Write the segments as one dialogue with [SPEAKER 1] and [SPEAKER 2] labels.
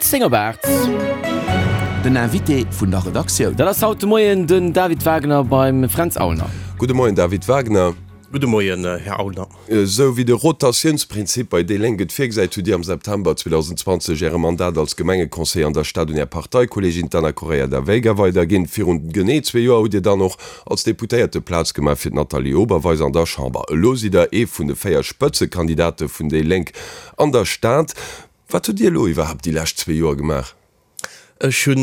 [SPEAKER 1] 10 op 8.
[SPEAKER 2] Den Invité vun der Redaktioun.
[SPEAKER 1] Dat ass haut de Moien den David Wagner beim Fränz Aulner.
[SPEAKER 3] Gudde Moien David Wagner.
[SPEAKER 4] Gudde Moien Här Aulner.
[SPEAKER 3] Esou wéi de Rotatiounsprinzip bei déi Lénk et virgesäit, hutt Dir am September 2020 Äre Mandat als Gemengeconseiller an der Stad un Är Parteikolleegin d'Ana Correia da Veiga weiderginn. Virun genee zwee Joer hutt Dir dann och als Deputéierte Plaz gemaach fir d'Nathalie Oberweis an der Chamber. Elo sidd Der ee vun de 4 Spëtzekandidate vun déi Lénk an der Stad. Wat hutt Dir elo iwwerhaapt déi lescht zwee Joer gemaach?
[SPEAKER 4] Ech hu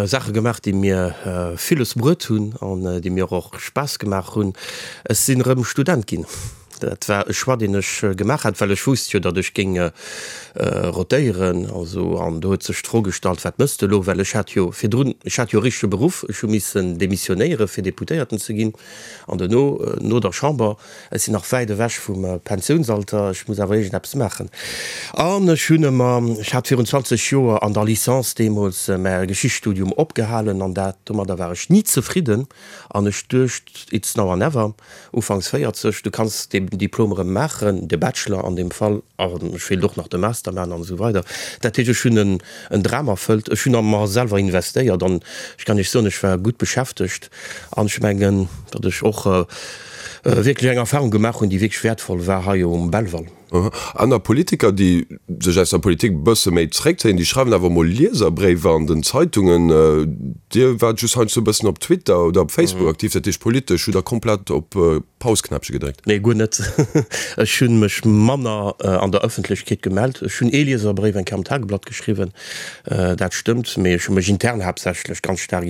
[SPEAKER 4] Saache gemaach, déi mir villes bruet hunn an déi mir och Spaass gemaach hunn. Ech sinn erëm Student ginn. Dat war e Choix, deen ech gemaach hat, well ech wousst jo, datt ech géing rotéieren. Also, an do huet sech d'Fro gestallt, Wat mëss de elo? Well ech hat jo virdrun, ech hat jo e richtege Beruff, ech hu missen demissionéiere fir Deputéierten ze ginn. An duerno, no der Chamber, Ech sinn nach wäit ewech vum Pensiounsalter, ech muss awer iergendeppes maachen. An ech hunn ëmmer, ech hat virun 20 Joer an der Licence deemools mäi Geschichtsstudium opgehalen an dat, domadder war ech ni zefridden an ech duecht, it's now or never, ufanks 40, du kanns deen Diplom erëm maachen, de Bachelor an deem Fall, an ech wéilt och nach de Master maachen an esou weider. Dat heescht, ech hunn en Dram erfëllt, ech hunn a mer selwer investéiert an ech kann Iech soen, ech war gutt beschäftegt an ech mengen, datt ech och wierklech eng Erfahrung gemaach hunn, déi wierklech wäertvoll war hei um Belval.
[SPEAKER 3] Aner Politiker, déi sech aus der Politik e bësse méi zréckzéien, déi schreiwen awer emol Lieserbréiwer an den Zeitungen. Dir waart just heiansdo e bëssen op Twitter oder op Facebook aktiv, dat heescht politesch hutt Der komplett op Pause-Knäppche gedréckt?
[SPEAKER 4] Nee, guer net. Ech hu mech manner an der Ëffentlechkeet gemellt. Ech hunn ee Lieserbréif eng Kéier am Tageblatt geschriwwen, dat stëmmt, mee ech hu mech intern haaptsächlech ganz staark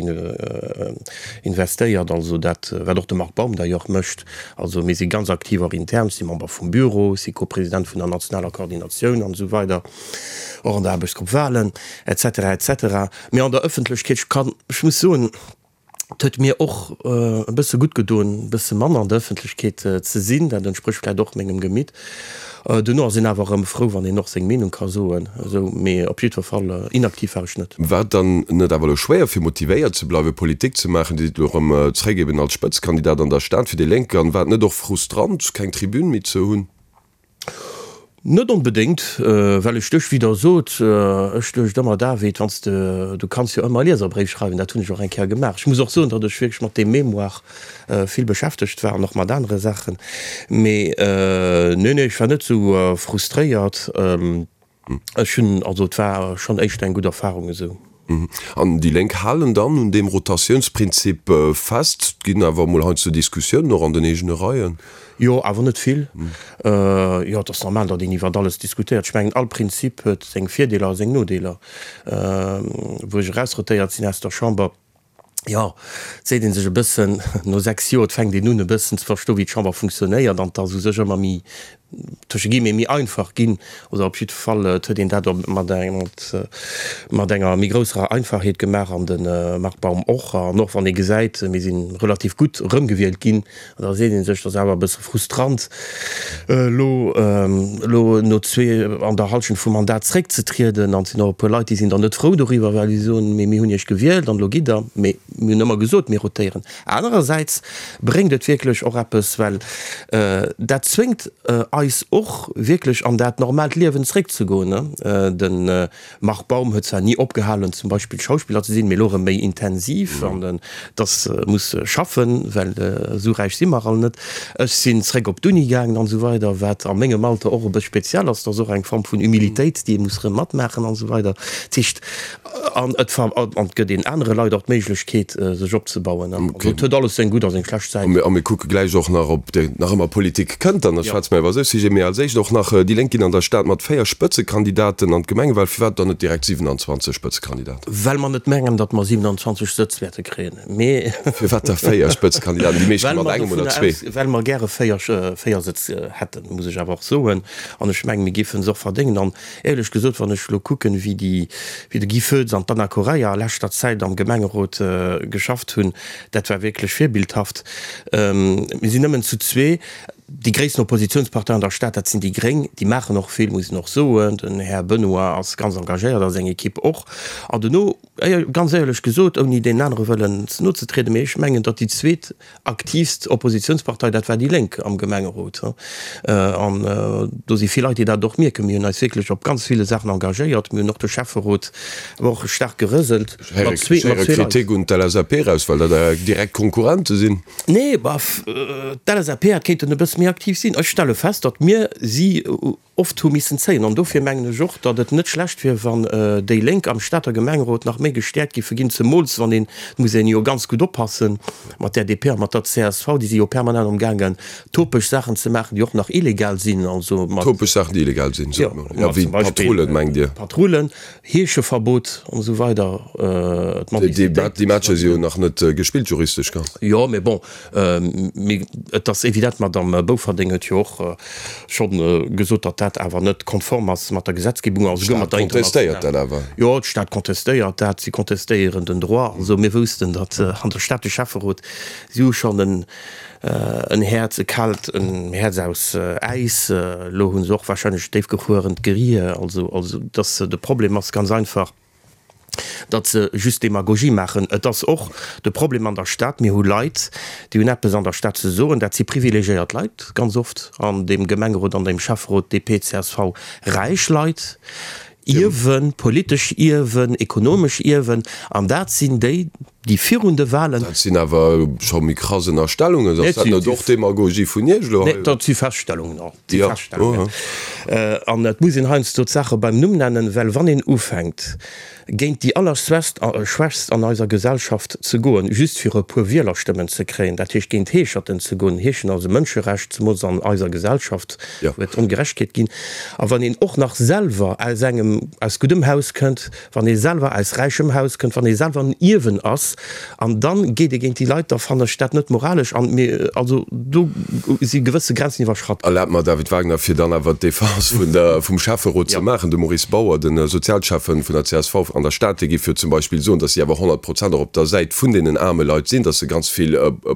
[SPEAKER 4] investéiert, also dat wat och de Marc Baum d'ailleurs mécht. Also mir si ganz aktiv och intern, ech si Member vum Büro, ech si Co-President vun der nationaler Koordinatioun an esou weider, och an der Aarbechtsgrupp Wahlen et cetera et cetera. Mee an der Ëffentlechkeet, ech kann, ech muss soen, et huet mir och e bësse gutt gedoen, e bësse manner an der Ëffentlechkeet ze sinn, dat entsprécht vläicht och mengem Gemitt. Duerno ass een awer erëm frou, wann een och seng Meenung ka soen. Esou, mee op jiddwer Fall inaktiv war ech net.
[SPEAKER 3] War et dann net awer elo schwéier fir motivéiert ze bleiwen, Politik ze maachen? Dir sidd elo erëm zréck eben als Spëtzekandidat an der Stad fir déi Lénk. An war et net och frustrant, keng Tribün méi ze hunn?
[SPEAKER 4] Net onbedéngt, well ech duerch, wéi Der sot, ech duecht ëmmer, David, wann s de, du kanns jo ëmmer e Lieserbréif schreiwen, dat hunn ech och eng Kéier gemaach. Ech muss och soen, datt ech wierklech mat deem Mémoire vill beschäftegt war an och mat anere Saachen. Mee nee, nee, ech war net esou frustréiert. Ech hunn, also et war schonn éischter eng gutt Erfarung esou.
[SPEAKER 3] An déi Lénk halen dann un deem Rotatiounsprinzip fest. Et ginn awer emol heiansdo Diskussiounen och an den eegene Reien.
[SPEAKER 4] Jo, awer net vill. Jo, et ass normal, datt een iwwert alles diskutéiert. Ech mengen, all Prinzip huet seng Virdeeler a seng Nodeeler. Wou ech erausrotéiert sinn aus der Chamber, jo, et seet ee sech e bëssen, no 6 Joer, et fänkt een un e bëssen ze verstoen, wéi d'Chamber funktionéiert an et ass u sech ëmmer méi, tësche guillemets, méi einfach ginn, oder op jiddwer Fall, et huet een dat op mat mat enger méi grousserer Einfachheet gemaach an de Marc Baum och. An och wann ee gesäit, mir si relativ gutt erëmgewielt ginn, da seet ee sech, et ass awer e bësse frustrant, elo elo no zwee an der Hallschent vum Mandat zréckzetrieden. An et sinn och e puer Leit, déi sinn dann net frou doriwwer, well si soen, mee mir hunn Iech gewielt an elo gitt Der. Mee mir hunn ëmmer gesot, mir rotéieren. Anerersäits bréngt et wierklech och eppes, well dat zwéngt eis och wierklech an dat normaalt Liewen zréckzegoen. De Marc Baum huet zwar ni opgehalen zum Beispill Schauspiller ze sinn, mee elo erëm méi intensiv an dass e muss schaffen, well esou räich si mer all net. Ech sinn zréck op d'Uni gaangen an esou weider, wat a mengem Alter och e bëss speziell ass. Dat ass och eng Form vun Humilitéit, déi ee muss erëm matmaachen an esou weider. Dat heescht, an et an et gëtt een anere Leit och d'Méiglechkeet sech opzebauen. Also et huet alles seng gutt a seng schlecht Säiten.
[SPEAKER 3] A mir kucke gläich och nach, ob nach ëmmer Politik kënnt, dann schwätze mer iwwer esou Sujeten. Mee als éischt och nach, Déi Lénk ginn an der Stad mat 4 Spëtzekandidaten an d'Gemengewal. Firwat dann net direkt 27 Spëtzekandidaten?
[SPEAKER 4] Well mer net mengen, datt mer 27 Sëtz wäerte kréien. Mee.
[SPEAKER 3] Firwat da 4 Spëtzekandidaten? Déi meescht mat engem oder zwee.
[SPEAKER 4] Well mer gäre 4 Sëtz hätten, muss ech awer och soen. An ech mengen, mir géife se och verdéngen. An Éierlech gesot, wann ech elo kucken, wéi déi, wéi de Guy Foetz an d'Anna Correia a leschter Zäit am Gemengerot geschafft hunn, dat war wierklech virbildhaft. Mir sinn nëmmen zu zwee. Déi gréissten Oppositionspartei an der Stad, dat sinn déi Gréng. Déi maachen och vill, muss een och soen. Den Här Benoy ass ganz engagéiert a seng Ekipp och. An dono, ganz éierlech gesot, ouni deenen anere wëllen ze no ze trieden, mee ech mengen, datt déi zweet aktiivst Oppositionspartei, dat war déi Lénk am Gemengerot. An do si vill Leit, déi dat och mierken. Mir hunn eis wierklech op ganz ville Saachen engagéiert. Mir hunn och de Schäfferot awer och staark gerëselt.
[SPEAKER 3] Ech héiere Kritik un d'LSAP eraus, well dat Är direkt Konkurrente sinn.
[SPEAKER 4] Nee, bof, d'LSAP hätt kéinten e bësse méi aktiv sinn. Ech stelle fest, datt mir si oft hu missen zéien. An dofir mengen ech och, datt et net schlecht wier, wann déi Lénk am Stater Gemengerot nach méi gestäerkt giffe ginn, zemools wann een, et muss een jo ganz gutt oppassen mat där DP a mat der csv, déi si jo permanent amgaangen, topeg Saachen ze maachen, déi och nach illegal sinn, also
[SPEAKER 3] mat. Topeg Saachen, déi illegal sinn, sot mer. Jo, wéi Patrullen, mengt Dir?
[SPEAKER 4] Patrullen. Heescheverbot an esou weider,
[SPEAKER 3] d'Mendicitéit. Déi Matcher si jo nach net gespillt, juristesch ganz.
[SPEAKER 4] Jo, mee bon, mee et ass evident, d'Madame Bouferdeng huet jo och scho gesot, datt dat awer net konform ass mat der Gesetzgebung a souguer mat der
[SPEAKER 3] internationaler. D'Stad contestéiert dat awer.
[SPEAKER 4] Jo, d'Stad contestéiert dat, si contestéieren den Droit. Also mir woussten, datt an der Stad de Schäfferot, si hu schonn en En Häerz, e kaalt, en Häerz aus Äis. Elo hu se och warscheinlech déifgefruerent Gerier. Also, also dass de Problem ass ganz einfach, datt se just Demagogie maachen. Et ass och de Problem an der Stad, mir hu Leit, déi hunn eppes an der Stad ze soen. Dat si privilegiéiert Leit ganz oft an deem Gemengerot, an deem Schäfferot, DP, csv, räich Leit, Ierwen, politesch Ierwen, ekonomesch Ierwen, an dat sinn déi, déi virun de Wahlen.
[SPEAKER 3] Dat sinn awer scho méi krass Ënnerstellungen. Ass dat net och Demagogie vun Iech elo
[SPEAKER 4] hei? Nee, dat si Feststellungen, dat si Feststellungen. An et muss een heiansdo d'Saache beim Numm nennen, well wann een ufänkt, géint déi Allerschwächst an eiser Gesellschaft ze goen, just fir e puer Wielerstëmmen ze kréien, dat heescht géint Heescherten ze goen, Heeschen ass e Mënscherecht, zemools an eiser Gesellschaft, wou et Ongerechtegkeet ginn, a wann een och nach selwer aus engem, aus guddem Haus kënnt, wann ee selwer aus räichem Haus kënnt, wann ee selwer en Ierwen ass, an dann geet ee géint déi Leit, da fannen ech dat net moralesch an mir, also do si gewësse Grenzen iwwerschratt.
[SPEAKER 3] Erlaabt mer, David Wagner, fir dann awer d'Defense vun der, vum Schäfferot ze maachen. De Maurice Bauer, de Sozialschäffen vun der csv an der Stad, dee géif jo zum Beispill soen, datt si awer 100 Prozent och op der Säit vun deenen aarme Leit sinn, datt se ganz vill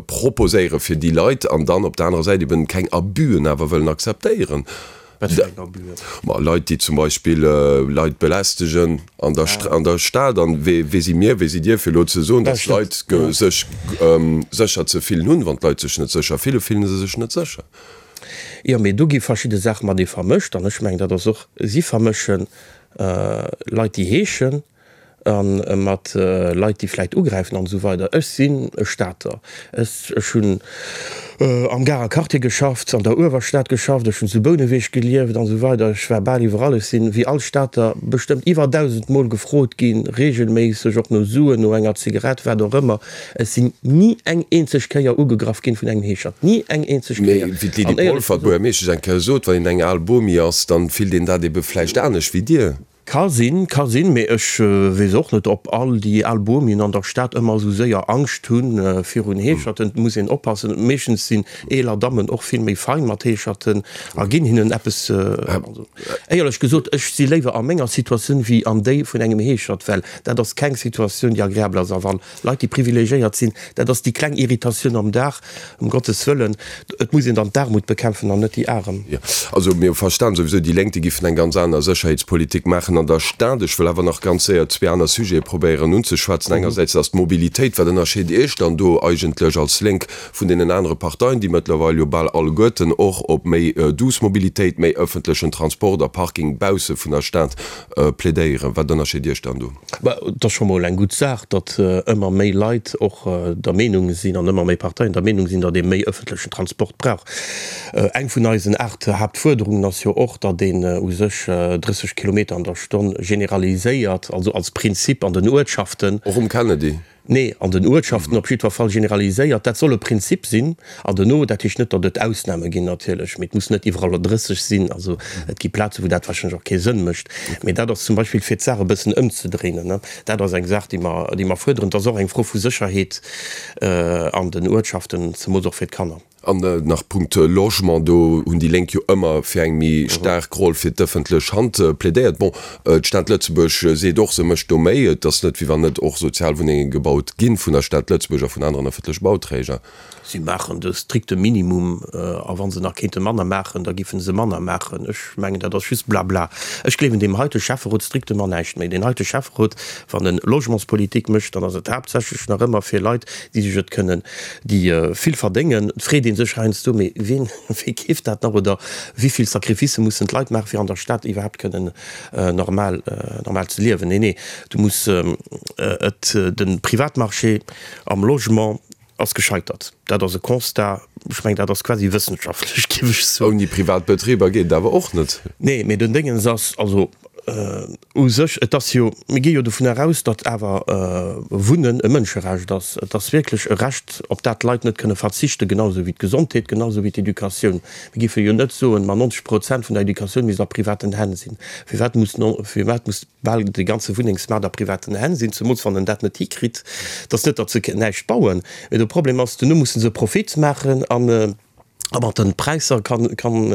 [SPEAKER 3] proposéiere fir déi Leit an dann op der anerer Säit eben keng Abüen awer wëllen akzeptéieren.
[SPEAKER 4] Wat fir eng Abüen?
[SPEAKER 3] Ma Leit, déi zum Beispill Leit belästegen an der, an der Stad. An wee, wee si mir, wee sidd Dir, fir elo ze soen, datt Leit sech sécher ze fillen hunn? Wann d'Leit sech net sécher fillen, fillen se sech net sécher.
[SPEAKER 4] Jo, mee do gi verschidde Saache matenee vermëscht. An ech mengen, dat ass och, si vermëschen Leit, déi heeschen, a mat Leit, déi vläicht ugräifen an esou weider. Ech sinn e Stater. Ech, ech hunn am Garer Quartier geschafft, an der Uewerstad geschafft, ech hunn zu Bouneweg gelieft an esou weider. Ech war bal iwwerall. Ech sinn, wéi all Stater, bestëmmt iwwer 1.000 Mol gefrot ginn, regelméisseg, och no Suen, no enger Zigarett, wat och ëmmer. Ech sinn ni eng eenzeg Kéier ugegraff ginn vun engem Heeschert. Ni eng eenzeg
[SPEAKER 3] Kéier. Mee wéi d'Lydie Polfer, d'Buergermeeschtesch, eng Kéier sot, wann een eng al Bomi ass, dann fillt een dat ebe vläicht anescht wéi Dir.
[SPEAKER 4] Ka sinn, ka sinn, mee ech weess och net, ob all déi al Bomien an der Stad ëmmer esou séier Angscht hu virun Heescherten. Et muss een oppassen, meeschtens sinn eeler Dammen och vill méi fein mat Heescherten a ginn hinnen eppes. Also éierlech gesot, ech si léiwer a menger Situatioun wéi an déi vun engem Heeschert, well dat ass keng Situatioun, déi agreabel ass. A wa Leit, déi privilegiéiert sinn, dat ass déi kleng Irritatioun am Dag, Ëm Gottes Wëllen, et muss een dann d'Aarmut bekämpfen an net déi Arem.
[SPEAKER 3] Jo, also mir hu verstan souwisou, déi Lénk, déi giffen eng ganz aner Sécherheetspolitik maachen an der Stad. Ech wëll awer nach ganz séier zwee aner Sujete probéieren unzeschwätzen. Engersäits ass d'Mobilitéit. Wat ënnerscheet Iech dann do eigentlech als Lénk vun deenen anere Parteien, déi mëttlerweil jo bal alleguerten och op méi douce Mobilitéit, méi ëffentlechen Transport a Parking bausse vun der Stad plädéieren? Wat ënnerscheet Iech dann do?
[SPEAKER 4] Bah, et ass scho mol eng gutt Saach, datt ëmmer méi Leit och der Meenung sinn an ëmmer méi Parteien der Meenung sinn, datt ee méi ëffentlechen Transport brauch. Eng vun eisen 8 Haaptfuerderungen ass jo och, datt een u sech 30 Kilometer an der Stonn generaliséiert, also als Prinzip an den Uertschaften.
[SPEAKER 3] Och um Kennedy?
[SPEAKER 4] Nee, an den Uertschaften op jiddwer Fall generaliséiert. Dat soll e Prinzip sinn. An duerno, dat heescht net, datt et Ausname ginn natierlech, mee et muss net iwwerall 30 sinn. Also et gi Plazen, wou dat warscheinlech och kee Sënn mécht. Mee dat ass zum Beispill, fir d'Saach e bëssen ëmzedréinen, dat ass eng Saach, déi mer, déi mer fuerderen. Et ass och eng Fro vu Sécherheet an den Uertschaften, zemools och fir d'Kanner.
[SPEAKER 3] An nach Punkt Logement, do hunn déi Lénk jo ëmmer fir eng méi staark Roll fir d'ëffentlech Hand plädéiert. Bon, d'Stad Lëtzebuerg seet och, se mécht do méi. Et ass net, wéi wann net och Sozialwunnenge gebaut ginn vun der Stad Lëtzebuerg a vun aneren ëffentleche Bauträger.
[SPEAKER 4] Si maachen de strikte Minimum, a wa se nach kéinte manner maachen, da giffen se manner maachen. Ech mengen, dat ass just Blabla. Ech gleewen deem heite Schäfferot strictement näischt méi. Deen heite Schäfferot, wann e Logementspolitik mécht, dann ass et haaptsächlech nach ëmmer fir Leit, déi sech et kënnen, déi vill verdéngen. Et freet ee sech heiansdo, mee wien, wee keeft dat nach oder wéi vill Sacrificë mussen d'Leit maachen, fir an der Stad iwwerhaapt kënnen normal, normal ze liewen. Nee, nee, du muss et, de Privatmarché am Logement ass gescheitert. Dat ass e Constat, ech mengen, dat ass quasi wëssenschaftlech, géif ech soen.
[SPEAKER 3] Ouni privat Betriber geet et awer och net.
[SPEAKER 4] Nee, mee den Déngens ass, also u sech, et ass jo, mir gi jo dovun eraus, datt awer Wunnen e Mënscherecht ass. Et ass wierklech e Recht, op dat d'Leit net kënne verzichten, genau esou wéi d'Gesondheet, genau esou wéi d'Educatioun. Mir géife jo net soen, ma 90 Prozent vun der Educatioun misst a privaten Hänn sinn. Firwat muss, firwat muss bal de ganze Wunnengsmaart a privaten Hänn sinn, zemools wann en dat net hikritt. Et ass net, datt se näischt bauen, mee de Problem ass, duerno musse se Profit maachen an a mat de Präisser kann, kann,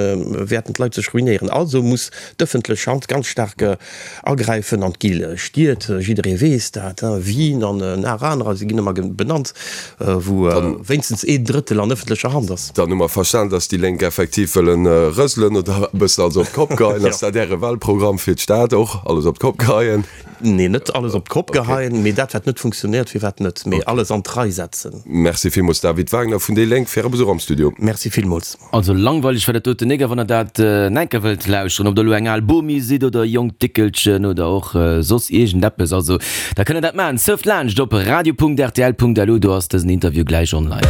[SPEAKER 4] wäerten d'Leit sech ruinéieren. Also muss d'ëffentlech Hand ganz staark agräifen an d'gi Stied, jidderee weess dat, Wien an nach anerer, se ginn ëmmer benannt, wou wéinstens een Drëttel an ëffentlecher Hand ass.
[SPEAKER 3] Dann hu mer verstan, dass déi Lénk effektiv wëllen rëselen oder e bëssen alles op d'Kopp geheien. Ass dat Äre Wahlprogramm fir d'Stad och, alles op d'Kopp geheien?
[SPEAKER 4] Nee, net alles op d'Kopp geheien, mee dat wat net funktionéiert, firwat net, mee alles an d'Rei setzen.
[SPEAKER 3] Merci villmools David Wagner vun déi Lénk fir Äre Besuch am Studio.
[SPEAKER 4] Merci villmools.
[SPEAKER 1] Also langweileg war dat doten nik, a wann der dat enker wëllt lauschteren, ob der elo eng al Bomi sidd oder e jonkt Déckelchen oder och soss iergendeppes, also da kënnt der dat maachen. Surft laanscht op radio.rtl.lu, do ass dësen Interview gläich online.